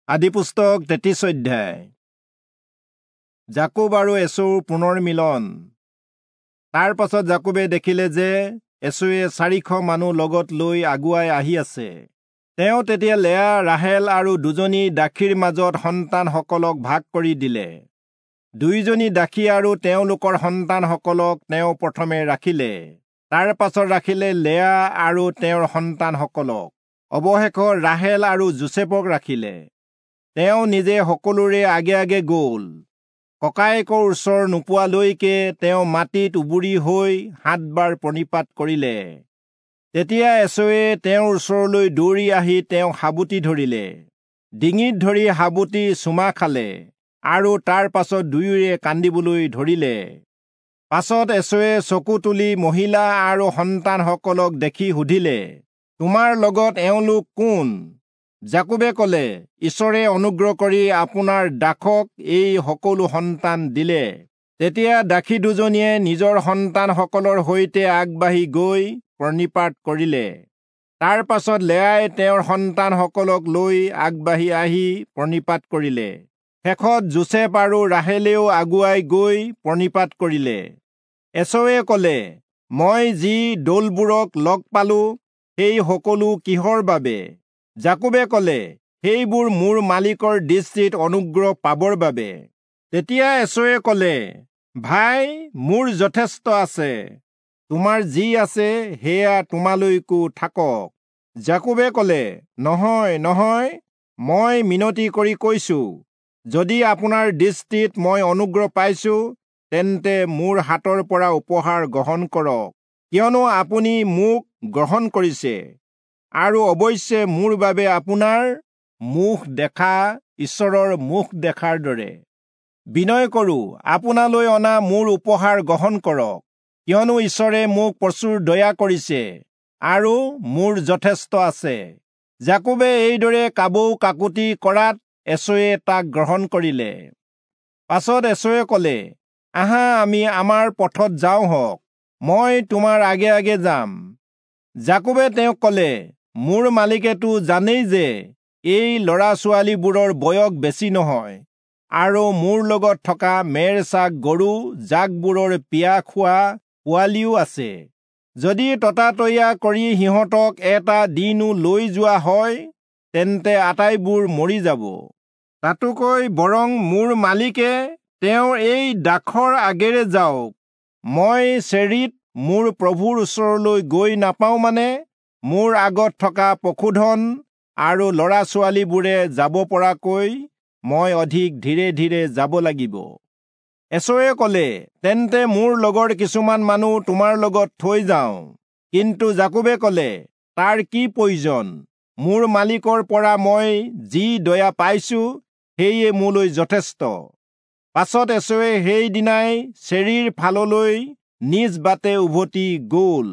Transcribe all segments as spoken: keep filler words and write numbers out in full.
আদিপুস্তক তেত্ৰিশ অধ্যায়। যাকোব আৰু এচৌৰ পুনৰ মিলন। তাৰ পাছত যাকোবে দেখিলে যে এচৌৱে চাৰিশ মানুহ লগত লৈ আগুৱাই আহি আছে। তেওঁ তেতিয়া লেয়া, ৰাহেল আৰু দুজনী দাসীৰ মাজত সন্তানসকলক ভাগ কৰি দিলে। দুয়োজনী দাসী আৰু তেওঁলোকৰ সন্তানসকলক তেওঁ প্ৰথমে ৰাখিলে, তাৰ পাছত ৰাখিলে লেয়া আৰু তেওঁৰ সন্তানসকলক, অৱশেষত ৰাহেল আৰু যোচেফক ৰাখিলে। তেওঁ নিজে সকলোৰে আগে আগে গ'ল। ককায়েকৰ ওচৰ নোপোৱালৈকে তেওঁ মাটিত উবুৰি হৈ সাতবাৰ প্ৰণিপাত কৰিলে। তেতিয়া এচৌৱে তেওঁৰ ওচৰলৈ দৌৰি আহি তেওঁক সাৱটি ধৰিলে, ডিঙিত ধৰি সাৱটি চুমা খালে আৰু তাৰ পাছত দুয়োৰে কান্দিবলৈ ধৰিলে। পাছত এচৌৱে চকু তুলি মহিলা আৰু সন্তানসকলক দেখি সুধিলে, তোমাৰ লগত এওঁলোক কোন? যাকোবে ক'লে, ঈশ্বৰে অনুগ্ৰহ কৰি আপোনাৰ দাসক এই সকলো সন্তান দিলে। তেতিয়া দাসী দুজনীয়ে নিজৰ সন্তানসকলৰ সৈতে আগবাঢ়ি গৈ প্ৰণিপাত কৰিলে। তাৰ পাছত লেয়াই তেওঁৰ সন্তানসকলক লৈ আগবাঢ়ি আহি প্ৰণিপাত কৰিলে। শেষত যোচেফ আৰু ৰাহেলেও আগুৱাই গৈ প্ৰণিপাত কৰিলে। এচৌৱে ক'লে, মই যি দলবোৰক লগ পালো সেই সকলো কিহৰ বাবে? যাকোবে ক'লে, সেইবোৰ মোৰ মালিকৰ দৃষ্টিত অনুগ্ৰহ পাবৰ বাবে। তেতিয়া এচৌৱে ক'লে, ভাই, মোৰ যথেষ্ট আছে, তোমাৰ যি আছে সেয়া তোমালৈকো থাকক। যাকোবে ক'লে, নহয় নহয়, মই মিনতি কৰি কৈছো, যদি আপোনাৰ দৃষ্টিত মই অনুগ্ৰহ পাইছো, তেন্তে মোৰ হাতৰ পৰা উপহাৰ গ্ৰহণ কৰক, কিয়নো আপুনি মোক গ্ৰহণ কৰিছে, আৰু অৱশ্যে মোৰ বাবে আপোনাৰ মুখ দেখা ঈশ্বৰৰ মুখ দেখাৰ দৰে। বিনয় কৰোঁ, আপোনালৈ অনা মোৰ উপহাৰ গ্ৰহণ কৰক, কিয়নো ঈশ্বৰে মোক প্ৰচুৰ দয়া কৰিছে আৰু মোৰ যথেষ্ট আছে। যাকোবে এইদৰে কাবৌ কাকুতি কৰাত এচৌৱে তাক গ্ৰহণ কৰিলে। পাছত এচৌৱে ক'লে, আহা, আমি আমাৰ পথত যাওঁ হওক, মই তোমাৰ আগে আগে যাম। যাকোবে তেওঁক ক'লে, মোৰ মালিকেতো জানেই যে এই ল'ৰা ছোৱালীবোৰৰ বয়স বেছি নহয়, আৰু মোৰ লগত থকা মেৰ ছাগ গৰু জাকবোৰৰ পিয়া খোৱা পোৱালিও আছে। যদি ততাতৈয়া কৰি সিহঁতক এটা দিনো লৈ যোৱা হয়, তেন্তে আটাইবোৰ মৰি যাব। তাতোকৈ বৰং মোৰ মালিকে তেওঁৰ এই দাসৰ আগেৰে যাওক, মই চেৰীত মোৰ প্ৰভুৰ ওচৰলৈ গৈ নাপাওঁ মানে মোৰ আগত থকা পশুধন আৰু ল'ৰা ছোৱালীবোৰে যাব পৰাকৈ মই অধিক ধীৰে ধীৰে যাব লাগিব। এচৌৱে ক'লে, তেন্তে মোৰ লগৰ কিছুমান মানুহ তোমাৰ লগত থৈ যাওঁ। কিন্তু যাকোবে ক'লে, তাৰ কি প্ৰয়োজন? মোৰ মালিকৰ পৰা মই যি দয়া পাইছো সেয়ে মোলৈ যথেষ্ট। পাছত এচৌৱে সেইদিনাই চেৰীৰ ফাললৈ নিজ বাটে উভতি গ'ল।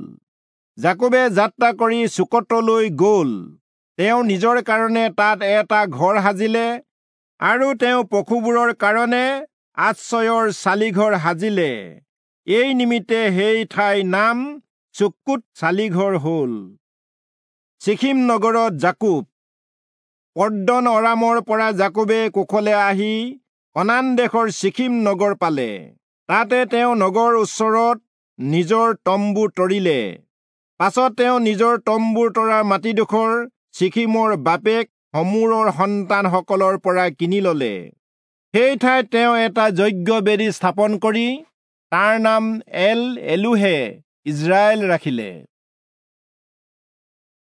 যাকোবে যাত্ৰা কৰি চুকতলৈ গ'ল। তেওঁ নিজৰ কাৰণে তাত এটা ঘৰ সাজিলে আৰু তেওঁ পশুবোৰৰ কাৰণে আশ্ৰয়ৰ চালিঘৰ সাজিলে। এই নিমিত্তে সেই ঠাইৰ নাম চুক্কোত চালিঘৰ হ'ল। চিখিম নগৰত যাকোব। পদ্দন অৰামৰ পৰা যাকোবে কুশলে আহি কনান দেশৰ চিখিম নগৰ পালে। তাতে তেওঁ নগৰ ওচৰত নিজৰ তম্বু তৰিলে। পাছত তেওঁ নিজৰ তম্বুৰ তৰা মাটিডোখৰ চিখিমৰ বাপেক হমোৰৰ সন্তানসকলৰ পৰা কিনি ললে। সেই ঠাইত তেওঁ এটা যজ্ঞ বেদী স্থাপন কৰি তাৰ নাম এল এলোহে ইজৰাইল ৰাখিলে।